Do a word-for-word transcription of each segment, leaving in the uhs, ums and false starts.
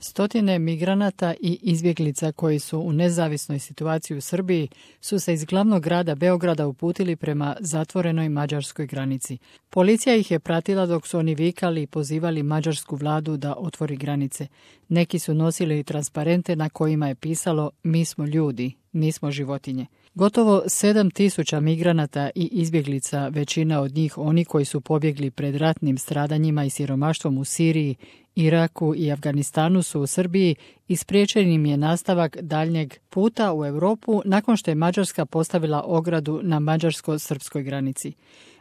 Stotine migranata i izbjeglica koji su u nezavisnoj situaciji u Srbiji su se iz glavnog grada Beograda uputili prema zatvorenoj mađarskoj granici. Policija ih je pratila dok su oni vikali i pozivali mađarsku vladu da otvori granice. Neki su nosili transparente na kojima je pisalo "Mi smo ljudi, nismo životinje". Gotovo sedam tisuća migranata i izbjeglica, većina od njih oni koji su pobjegli pred ratnim stradanjima i siromaštvom u Siriji, Iraku i Afganistanu, su u Srbiji i spriječen im je nastavak daljnjeg puta u Europu nakon što je Mađarska postavila ogradu na mađarsko-srpskoj granici.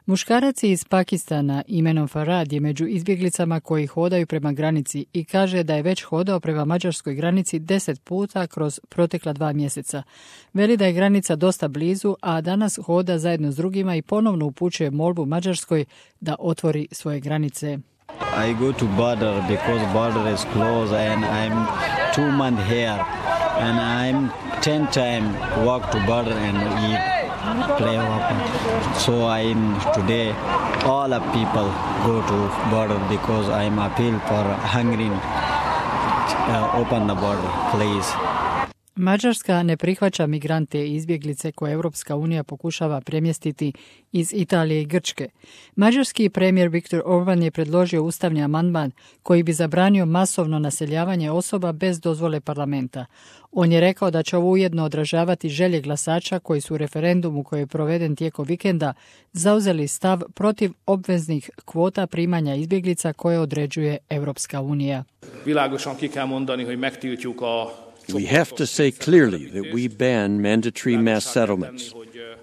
Muškarac iz Pakistana imenom Farad je među izbjeglicama koji hodaju prema granici i kaže da je već hodao prema mađarskoj granici deset puta kroz protekla dva mjeseca. Veli da je granica dosta blizu, a danas hoda zajedno s drugima i ponovno upućuje molbu Mađarskoj da otvori svoje granice. I go to border because border is closed and I'm two months here and I'm ten time walk to border and eat, play open. So I'm today all of people go to border because I'm appeal for Hungary. Uh, open the border, please. Mađarska ne prihvaća migrante i izbjeglice koje Europska unija pokušava premjestiti iz Italije i Grčke. Mađarski premijer Viktor Orban je predložio ustavni amandman koji bi zabranio masovno naseljavanje osoba bez dozvole parlamenta. On je rekao da će ovo ujedno odražavati želje glasača koji su u referendumu koji je proveden tijekom vikenda zauzeli stav protiv obveznih kvota primanja izbjeglica koje određuje Europska unija. Világosan ki kell mondani, hogy megtiltjuk a We have to say clearly that we ban mandatory mass settlements.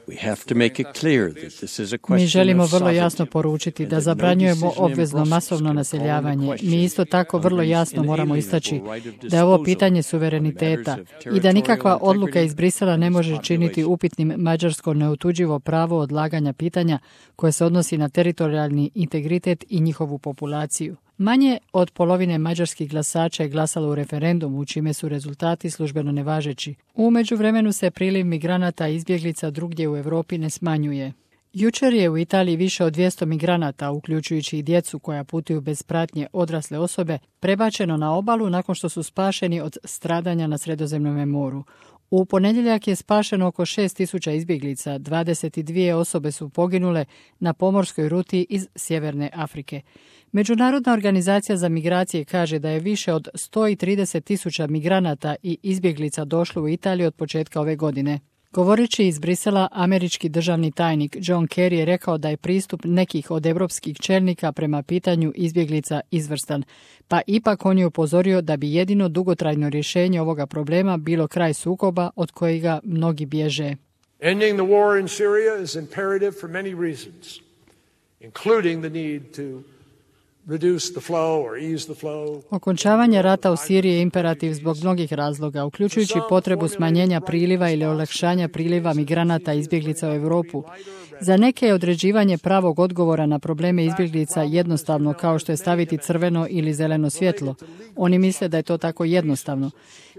We have to make it clear that this is a question of sovereignty. Mi želimo vrlo jasno poručiti da zabranjujemo obvezno masovno naseljavanje. Mi isto tako vrlo jasno moramo istaći da je ovo pitanje suvereniteta i da nikakva odluka iz Brisela ne može činiti upitnim mađarsko neotuđivo pravo odlaganja pitanja koje se odnosi na teritorijalni integritet i njihovu populaciju. Manje od polovine mađarskih glasača je glasalo u referendumu, čime su rezultati službeno nevažeći. U međuvremenu se priliv migranata i izbjeglica drugdje u Europi ne smanjuje. Jučer je u Italiji više od dvjesto migranata, uključujući i djecu koja putuju bez pratnje odrasle osobe, prebačeno na obalu nakon što su spašeni od stradanja na Sredozemnom moru. U ponedjeljak je spašeno oko šest tisuća izbjeglica, dvadeset dvije osobe su poginule na pomorskoj ruti iz Sjeverne Afrike. Međunarodna organizacija za migracije kaže da je više od sto trideset tisuća migranata i izbjeglica došlo u Italiju od početka ove godine. Govoreći iz Brisela, američki državni tajnik John Kerry je rekao da je pristup nekih od europskih čelnika prema pitanju izbjeglica izvrstan, pa ipak on je upozorio da bi jedino dugotrajno rješenje ovoga problema bilo kraj sukoba od kojega mnogi bježe. Ending the war in Syria is imperative for many reasons, including the need to Okončavanje rata u Siriji je imperativ zbog mnogih razloga, uključujući potrebu smanjenja priliva ili olakšanja priliva migranata i izbjeglica u Europu. Za neke je određivanje pravog odgovora na probleme izbjeglica jednostavno, kao što je staviti crveno ili zeleno svjetlo. Oni misle da je to tako jednostavno.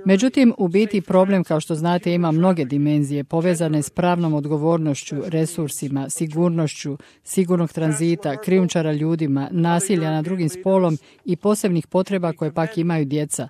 Međutim, u biti problem, kao što znate, ima mnoge dimenzije povezane s pravnom odgovornošću, resursima, sigurnošću, sigurnog tranzita, krijumčara ljudima, nasilja nad drugim spolom i posebnih potreba koje pak imaju djeca.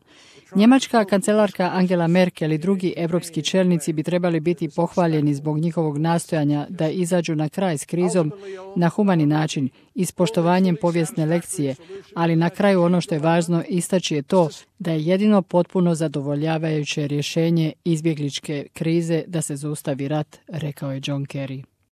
Njemačka kancelarka Angela Merkel i drugi europski čelnici bi trebali biti pohvaljeni zbog njihovog nastojanja da izađu na kraj s krizom na humani način i s poštovanjem povijesne lekcije, ali na kraju ono što je važno istaći je to da je jedino potpuno zadovoljavajuće rješenje izbjegličke krize da se zaustavi rat, rekao je John Kerry.